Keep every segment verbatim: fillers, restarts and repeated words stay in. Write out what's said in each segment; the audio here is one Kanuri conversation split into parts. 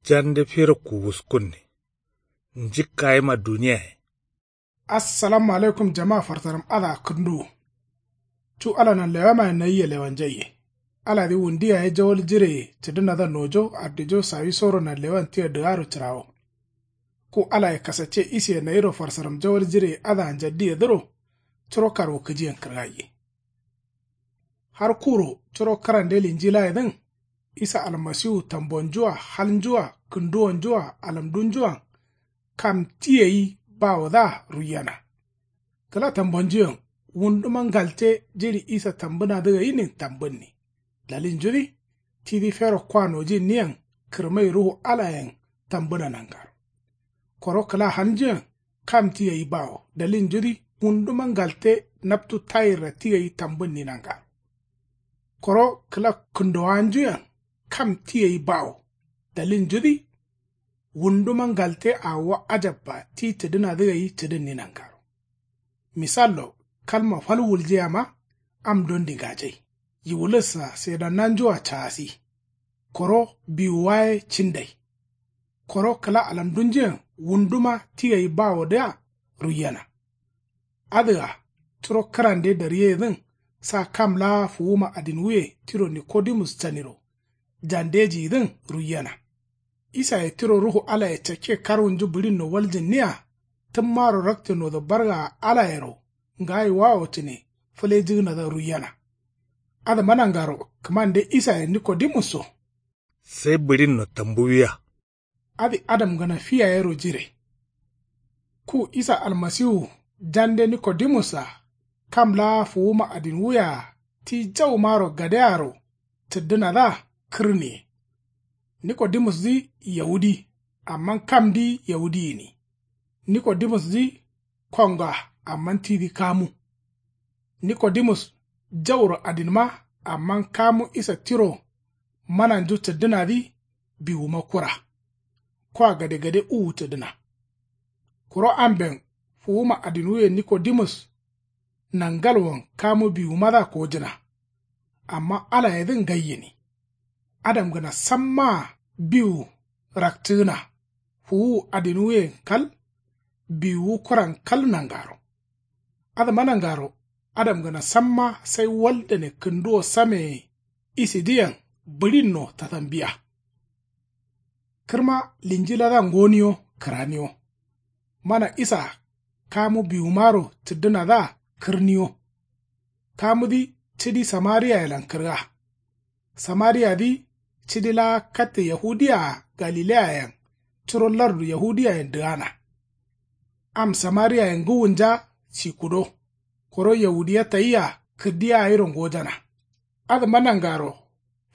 Jande fero kuwuskunne. Njikka yima duniyaye. Assalamu alaikum jama farsaram adǝa kǝnduwu. Cu ala nanlewamaye nayia lewanjaiye. Aladǝ wundi yaye jawal jireye cǝdǝnadǝa nojo ardijo sawisoro nanlewan tia dǝgaro cǝrawo. Ku alaye kasacce isiye nayiro farsaram jawal jireye adǝa njaddiyedǝro curo karwukǝjiyen kǝrgaiye. Har kuro curo kǝrande linjilayedǝn isa almasiwu tambonjua halnjua kǝnduwonjua alamdunjuan kam ti gai bawodǝa ruiyena. Kǝla tambonjuyen wunduma ngalte jiɍi isa tambǝnadǝ gainin tambǝnni. Dalilnjudǝ tidǝ fero kwa nojinniyen kǝrmai ruhu alayen tambǝna nangaro. Koro kǝla halnjuyen kam ti gai bawo dalilnjudǝ wunduma ngalte naptu tayirra ti gai tambǝnni nangaro. Koro kǝla kǝndowanjuyen kam ti gai bawo dalilnjudǝ wunduma ngalte awo ajabba ti cǝdǝnadǝ gai cǝdǝnni nangaro. Misallo kalma fal wuljeyama am dondi ngajai. Yiwulǝssa sedannanjua caasi. Koro biwuwa ye cindai. Koro kǝla alamdunjuyen wunduma ti gai bawodǝa ruiyena. Adǝa curo kǝrande daryeyedǝn sa kam laa fuwuma adinwuye tiro nikodimus caniro jandejiyidǝn ruiyena. Isaye tiro ruhu alaye cakke karwunju bǝɍinno waljǝnniya tǝmmaro rakcǝnodo bargaa alayero ngayiwawo cǝne fǝlejǝgǝnadǝa ruiyena. Adǝma nangaro kǝmande isaye nikodimusso. Sai bǝɍinno tambuwiya. Adǝ adamgǝna fi yayero jire. Ku isa almasiwu jande nikodimus-a kam laa fuwuma adinwuye-a ti jaumaro gadearo cǝddǝnadǝa kǝrniye. Nikodimusdǝ yawudi amma kamdǝ yawudi gǝni. Nikodimusdǝ konga amma tidǝ kamu. Nikodimus jauro adinma amma kamu isa tiro mananju cǝddǝnadǝ biwuma kura. Kwa gadegade uwu cǝdǝna. Kuro amben fuwuma adinwuye nikodimus nangalwon kamu biwumadǝa kojǝna. Amma alayedǝn ngai gǝni. Adamgǝna sammaa biwu rakcǝgǝna fuwuwu adinwuyen kal biwuwu kuran kal nangaro. Adǝma nangaro adamgǝna samma sai waldane kǝnduwo sameye isidǝyen bǝɍinno tatambiya. Kǝrma linjiladǝa ngoniyo kǝraniyo. Mana isa kamu biwumaro cǝddǝnadǝa kǝrniyo. Kamudǝ cidi samariyayelan kǝrga. Samariyadǝ cidi laa katte yahudiya-a galileyayen curo lardu yahudiyayen dǝgana. Am samariyaye ngǝwunja sikudo koro yahudiya tayia kǝrdiya gairo ngojana. Adǝma nangaro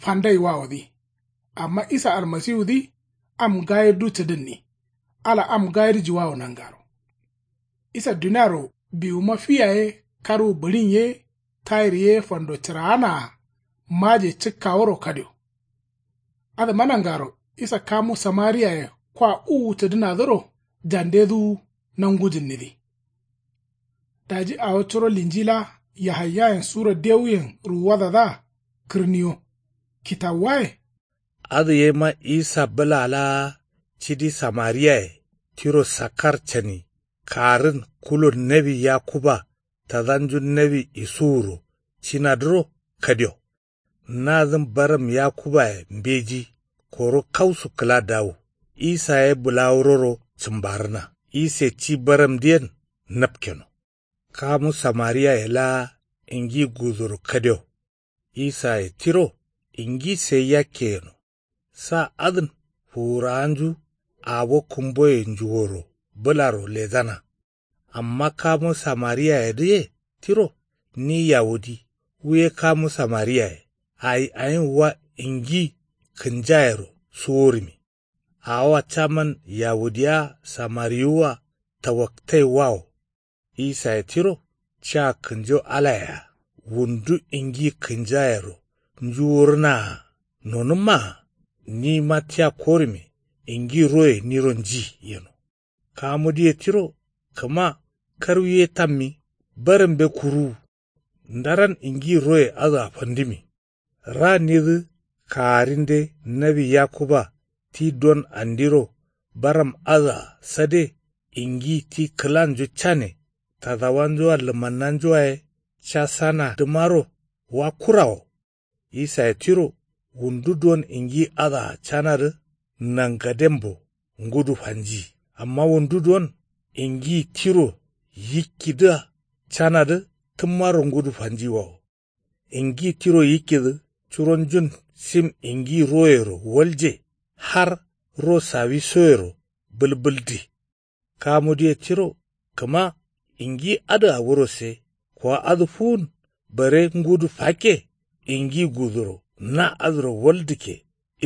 fandaiwawodǝ. Amma isa almasiwudǝ am gayirdu cǝdǝnni. Ala am gayirjuwawo nangaro. Isa duniaro biwuma fi yaye karwu bǝɍin ye tayir ye fando cǝraana-a maje cǝkkaworo kadio. Adǝma nangaro isa kamu samariyaye kwa uwu cǝdǝnadǝro jandedǝwu nangujǝnnidǝ. Daji awo curo linjila yahaiyayen sura dewuyen ruwuwadadǝa kǝrniyo. Kitawuwaye. Adǝ yema isa bǝla laa cidi samariyaye tiro sakkar cani karǝn kulon nawi yakuba tadanju nawi isuwuro cinadǝro kadio. Nadǝn baram yakubaye mbeji koro kausu kǝla dawu. Isa ye bǝlawuroro cǝmbarǝna ise ci baramdǝyen napkeno. Kamu samariyaye laa ingi guduro kadio. Isaye tiro ingi sai yakke yeno. Sa adǝn fuwurawanju awo kǝmboye njuworo bǝlaro lejana. Amma kamu samariyayedǝye tiro ni yawudi wu ye kamu samariyaye ayi ayin wa ingi kǝnjayero suworǝmi. Awoa caman yawudiya samariyuwua tawaktaiwawo. Isaye tiro ca kǝnjo alayea wundu ingi kǝnjayero njuwurǝnaa nonǝmmaa nima tia korǝme ingi roye niro nji yeno. Kamudǝye tiro kǝma karwi ye tammi barambe kuruwu. Ndaran ingi roye adǝa fandǝmi. Ranidǝ kagarinde nawi yakuba Ti don andiro baram adǝa sade ingi ti kǝlanju cane tadawanjua lǝmannanjuaye casanadǝmaro wa kura wo. Isaye tiro wundu don ingi adǝa canadǝ nangadembo ngudu fanji. Amma wundu don ingi tiro yikkidǝa canadǝ tǝmmaro ngudu fanji wa wo. Ingi tiro yikkidǝ curonjun sim ingi royero walje har ro sawisoyero bǝlbǝldi. Kamudǝye tiro kǝma ingi adǝa wurose kuwa adǝ fuwun bare ngudu fakke ingi guduro na adǝro waldǝkke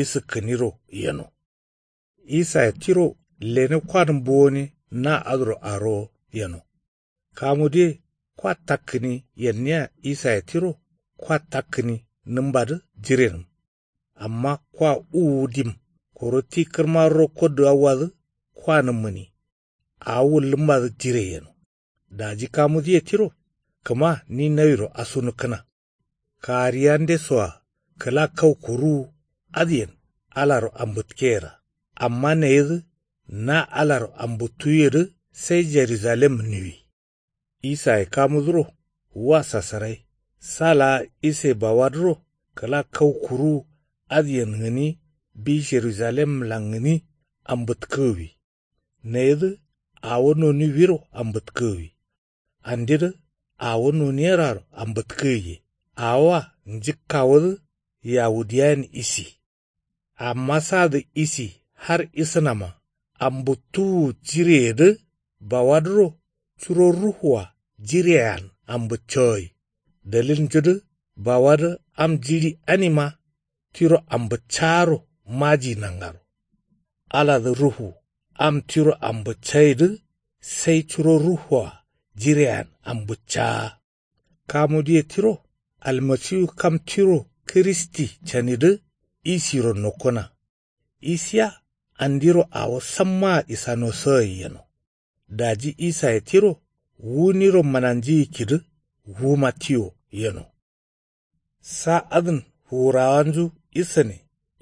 isǝkkǝniro yeno. Isaye tiro lene kwadǝn bowone na adǝro arowo yeno. Kamudǝye kwa takkǝni yenniya isaye tiro kwa takkǝni nǝmbadǝ jirenǝm. Amma kwa uwu dim koro ti kǝrma rokko dǝgawwadǝ kwa nǝmmǝni. Awo wullǝmmadǝ jire yeno. Daji kamudǝye tiro kǝma ni nawiro asunukkǝna. Kagariyandesoa kǝla kau kuruwu adǝyen alaro ambǝtkeyera. Amma nayedǝ na alaro ambǝttuyedǝ sai jerusalem niwi. Isaye kamudǝro wa sasarai sa laa ise bawadǝro kǝla kau kuruwu adǝyen gǝni bi jerusalemlan gǝni ambǝtkǝgǝwi. Nayedǝ awo noniwiro ambǝtkǝgǝwi. Andidǝ awo noniyeraro ambǝtkǝgǝye. Awoa njǝkkawodǝ yawudiyayen isi. Amma sadǝ isi har isǝnama ambǝttuwu jireyedǝ bawadǝro curo ruhua jireyean ambǝccagai. Dalilnjudǝ bawadǝ am jiɍi anima tiro ambǝccaaro maji nangaro. Aladǝ ruhu am tiro ambǝccaidǝ sai curo ruhua jireyean ambǝccaa. Kamudǝye tiro almasiwu kam tiro kǝristi canidǝ isiro nokkona. Isiya andiro awo sammaa isanosǝgai yeno. Daji isaye tiro wuniro mananjiyikkidǝ wuma tiyo yeno. Sa adǝn fuwurawanju isane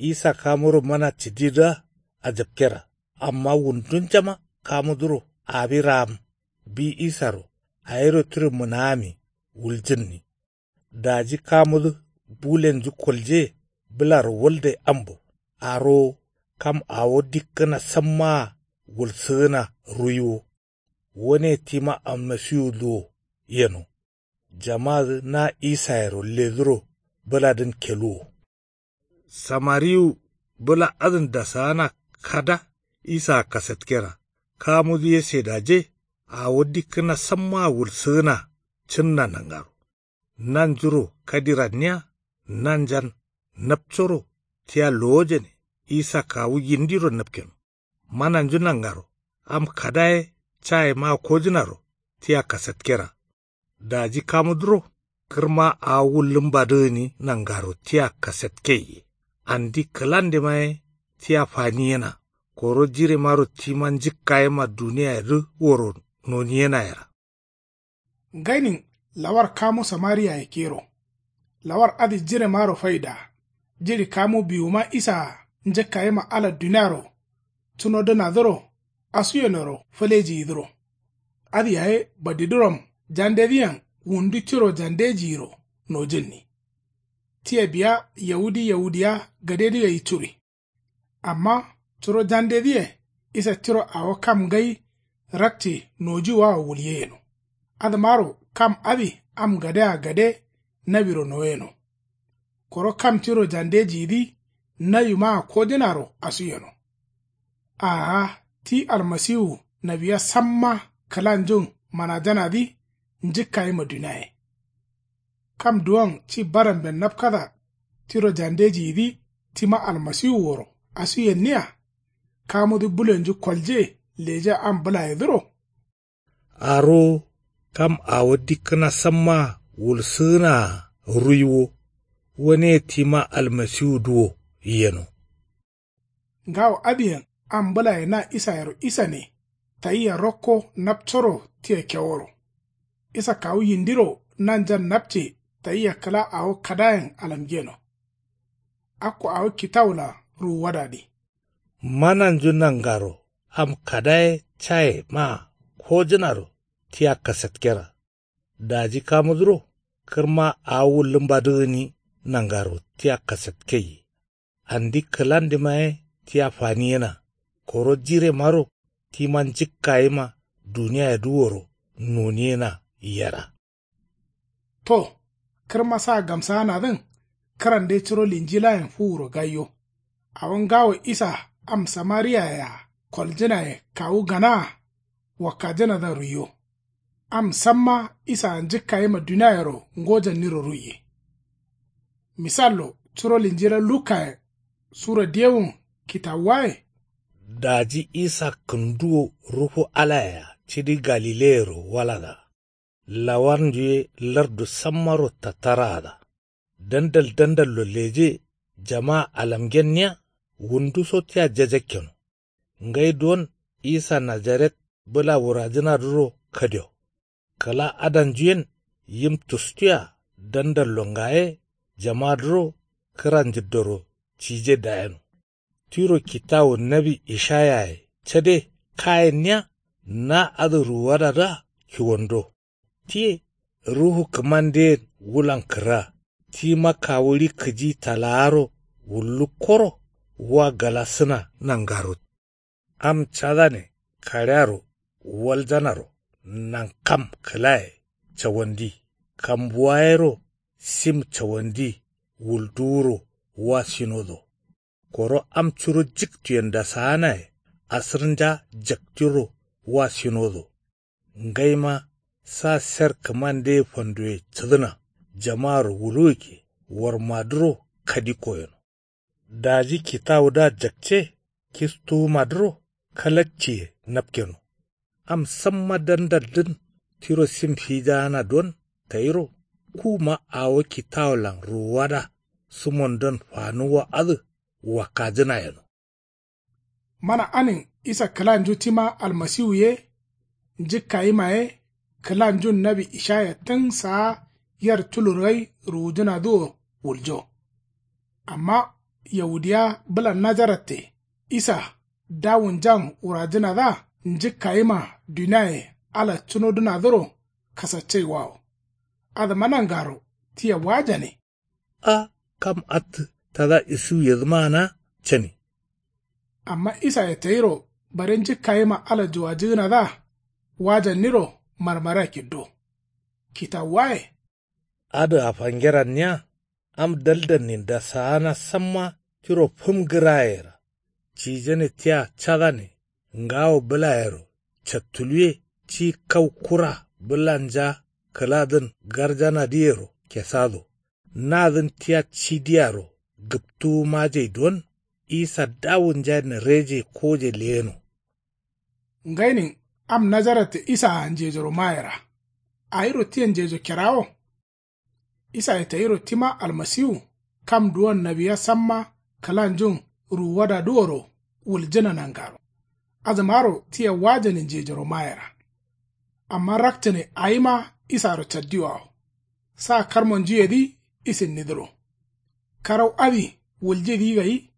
isa kamuro mana cididǝa ajapkera. Amma wundunjama kamudǝro awi raam bi isaro awiro tiro mǝnaami wuljǝnni. Daji kamudǝ bulenju kolje bǝlaro walde ambo arowo kam awo dikkǝna sammaa wulsǝgǝna ruiwo. Wone tima almasiwudǝ wo yeno. Jamadǝ na isayero ledǝro bǝladǝn keluwo. Samariwu bǝla adǝn dasaana kada isaa kasatkera. Kamudǝ ye sedaje awo dikkǝna sammaa wulsǝgǝna cǝnna nangaro. Nanjuro kadiranniya nanjan napcoro tia lowojane isa kawu yindiro napkeno. Mananju nangaro am kada ye cayemaa kojǝnaro tia kasatkera. Daji kamudǝro kǝrma awo wullǝmbadǝgǝni nangaro tia kasatkeye. Andi kǝlandema ye tia faniyena. Koro jiremaro tima njǝkkayema duniyayedǝ woro noniyenayera. Ngainin lawar kamu samariya yakkeyero. Lawar adǝ jiremaro faida. Jiɍi kamu biwuma isaa njǝkkayema ala duniaro cunodǝnadǝro asuyenero fǝlejiyidǝro. Adǝ yaye badidǝrom jandedǝyen wundu tiro jandejiyiro nojǝnni. Tia biya yawudi yawudiya gadedǝ gai curi. Amma curo jandedǝye isa tiro awo kam ngai rakce nojuwawo wulye yeno. Adǝmaro kam adǝ am gadea gade nawiro noyeno. Koro kam tiro jandejiyidǝ nawimaa kojǝnaro asuyeno. Aa ti almasiwu nawiya samma kǝlanjun manajanadǝ njǝkkayima duniaye. Kam duwon ci baramben napkata tiro jandejiyidǝ tima almasiwu woro asuyenniya. Kamudǝ bulenju kolje leja am bǝlayedǝro. Arowo kam awo dikkǝna sammaa wulsǝgǝnaa ruiwo. Wone tima almasiwudǝ wo yeno. Ngawo adǝyen am bǝlaye na isayero isane tayia rokko napcoro tia keworo. Isa kawu yindiro nanjan napce tayia kǝla awo kadayen alamgeno. Akko awo kitawula ruwuwadadǝ. Mananju nangaro am kadaye caye maa kojǝnaro tia kasatkera. Daji kamudǝro kǝrma awo wullǝmbadǝ gǝni nangaro tia kasatkaiye. Andi kǝlandima ye tia faniyena. Koro jiremaro tima njǝkkayima duniyayedǝworo noniyena yera. To, kǝrma sa gamsaanadǝn kǝrande curo linjilayen fuwuro gaiyo. Awo ngawo isa am samariyayea koljǝnaye kawu ganaa wakkajǝnadǝa ruiyo. Am samma isaa njǝkkayima duniayero ngojanniro ruiye. Misallo curo linjila lukkayen sura diyewun kitawuwaye. Daji isa kǝnduwo ruhu alayea cidi galileyero walada. Lawarnju ye lardu sammaro tattaraada. Dandal dandallo leje jamaa alamgenniya wunduso tia jajakkeno. Ngai duwon isa najaret bǝla wurajǝnadǝro kadio. Kǝla adanjuyen yim tustuya dandallo ngaye jamadǝro kǝra njǝddoro cije dayeno. Tiro kitawu nawi ishayaye cade kayenniya na adǝ ruwadadǝa kiwando. Tiye ruhu kǝmandeyen wulan kǝrra tima kawuɍi kǝji talaaro wullukkoro wa galasǝna nangaro. Am cadane kaɍearo waljanaro nankam kǝlaye cawandi kambuwa yero sim cawandi wulduwuro wa sinodo. Koro am curo jiktuyen dasaanaye asǝrnja jaktiro wa sinodo. Ngaima sa ser kǝmandeye fandoye cǝdǝna jamaaro wuluwukke warmadǝro kadikko yeno. Daji kitawudǝa jakce kistuwumadǝro kalakciye napkeno. Am samma dandaldǝn tiro sim fijaana don tayiro kuma awo kitawulan ruwuwada sǝmondon fanuwwa adǝ wakkajǝna yeno. Mana anin isa kǝlanju tima almasiwu ye njǝkkayima ye kǝlanjun nawi ishaya tǝn saa yer tulur gai ruwujǝnadǝ wo wuljo. Amma yaudiya bǝlan najaratte isa dawunjan wurajǝnadǝa njǝkkayima duniaye ala cunodǝnadǝro kasaccaiwawo. Adǝma nangaro tia wajane. A kam attǝ tada isuwuyedǝmaana cani. Amma isaye tayiro bare njǝkkayima ala juwajǝgǝnadǝa wajanniro marmara kiddo. Kitawuwaye adǝa fangeranniya am daldannin dasaana samma tiro fǝm gǝrayera. Cijane tia cadane ngawo bǝlayero cattuluwe ci kau kura bǝlanja kǝladǝn garjanadǝyero kesado. Nadǝn tia cidiyaro gǝptuwumajai don isa dawunja nereje koje leyeno. Ngainin am najaratte isaa njejoro mayera. Awiro tia njejo kerawo. Isaye tayiro tima almasiwu kam duwon nawiya samma kǝlanjun ruwuwadadǝworo wuljǝna nangaro. Adǝmaro tia wajane njejoro mayera. Amma rakcǝne awima isaro caddiwawo. Sa karmonjuyedǝ isinnidǝro. Karau adǝ wuljidǝ gai.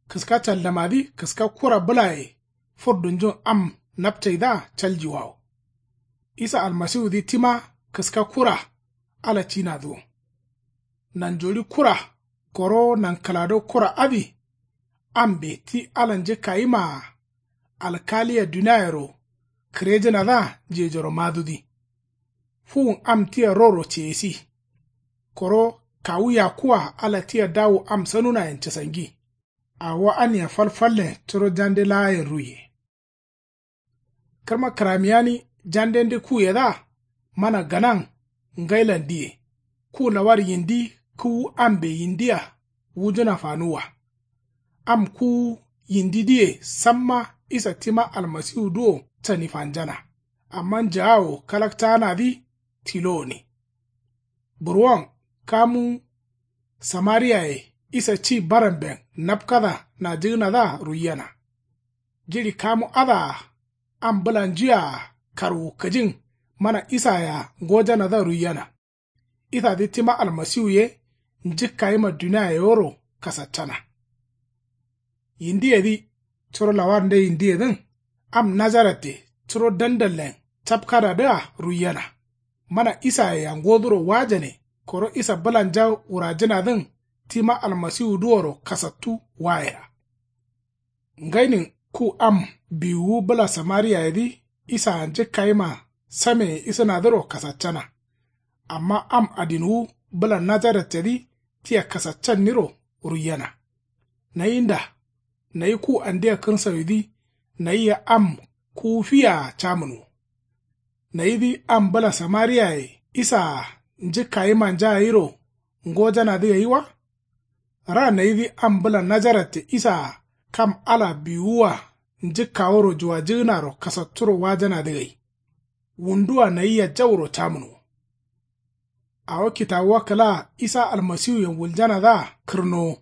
Kǝska caldamadǝ kǝska kura bǝlaye furdunjun am napcaidǝa caljiwawo. Isa almasiwudǝ tima kǝska kura ala cinadǝ wo. Nanjoɍi kura koro nankǝlado kura adǝ ambe ti ala njǝkkayimaa alkaliya duniayero kǝrejǝnadǝa njejoro madudǝ. Fuwun am tia roro ceyesi. Koro kawu yakkuwa ala tia dawu am sanunayen casangi. Awo ania falfallen curo jande laayen ruiye. Kǝrma kǝramiyani jandende kuyedǝa mana ganan ngailan diye. Ku lawar yindi kǝwu ambe yindia wujǝna fanuwwa. Am kǝwu yindidǝye samma isa tima almasiwudǝ wo cani fanjana. Amma njaawo kalaktaanadǝ tilo gǝni. Burwon kamu samariyaye isa ci baramben napkada najǝgǝnadǝa ruiyena. Jiɍi kamu adǝa am bǝlanjuye-a karwu kǝjin mana isayea ngojanadǝa ruiyena. Isadǝ tima almasiwu ye njǝkkayima duniaye yero kasaccana. Yindiyedǝ curo lawarnde yindiyedǝn. Am nazaratte curo dandallen capkadadǝa ruiyena. Mana isayea ngoduro wajane koro isa bǝlanja wurajǝnadǝn tima almasiwudǝoro kasattu wayera. Ngainin ku am biwuwu bǝla samariyayedǝ isaa njǝkkayima sameye isǝnadǝro kasaccana. Amma am adinwu bǝla nazarattedǝ tia kasaccanniro ruiyena. Nayinda nayi ku andia kǝrsawidǝ nayia am kuwu fiyaa camǝnwo. Nayidǝ am bǝla samariyaye isaa njǝkkayimanja gairo ngojanadǝ gai wa? Ra nayidǝ am bǝla nazaratte isaa kam ala biwuwua njǝkkaworo juwajǝgǝnaro kasatturo wajanadǝ gai. Wunduwa nayia jauro camǝnwo. Awo kitawuwa kǝlaa isa almasiwuyen wuljanadǝa kǝrnowo.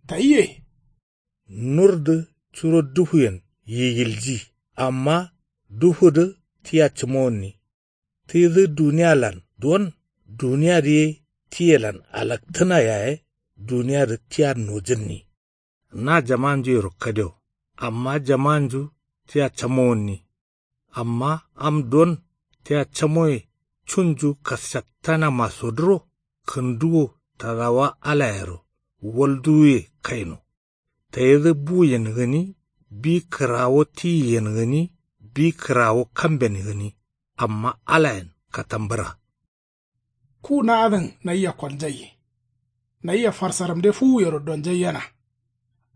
Tayiye. Nurdǝ curo dufuyen yigilji. Amma dufudǝ tia cǝmowonni. Tidǝ duniyalan duwon duniyadǝ ye tiyelan alaktǝna yaye duniyadǝ tia nojǝnni. Na jamanjuyero kadewo. Amma jamanju tia camowonni. Amma am don tia camoye cunju kassattanamaso dǝro kǝnduwo tadawa alayero walduwuye kaino. Tayidǝ buyen gǝni bi kǝrawo tiyiyen gǝni bi kǝrawo kamben gǝni. Amma alayen katambǝra. Ku na adǝn nayia koljaiye. Nayia farsaramde fuwuyero donjaiyena.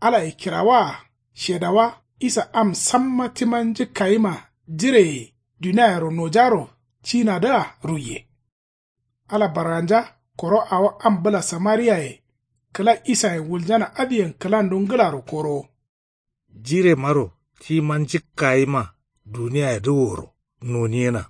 Alaye kirawaa shedawa isa am samma tima njǝkkayima jireye duniayero nojaro cinadǝa ruiye. Ala barganja koro awo am bǝla samariyaye kǝla isayen wuljana adǝyen kǝlandu ngǝlaro korowo. Jiremaro tima njǝkkayima duniyayedǝ woro noniyena.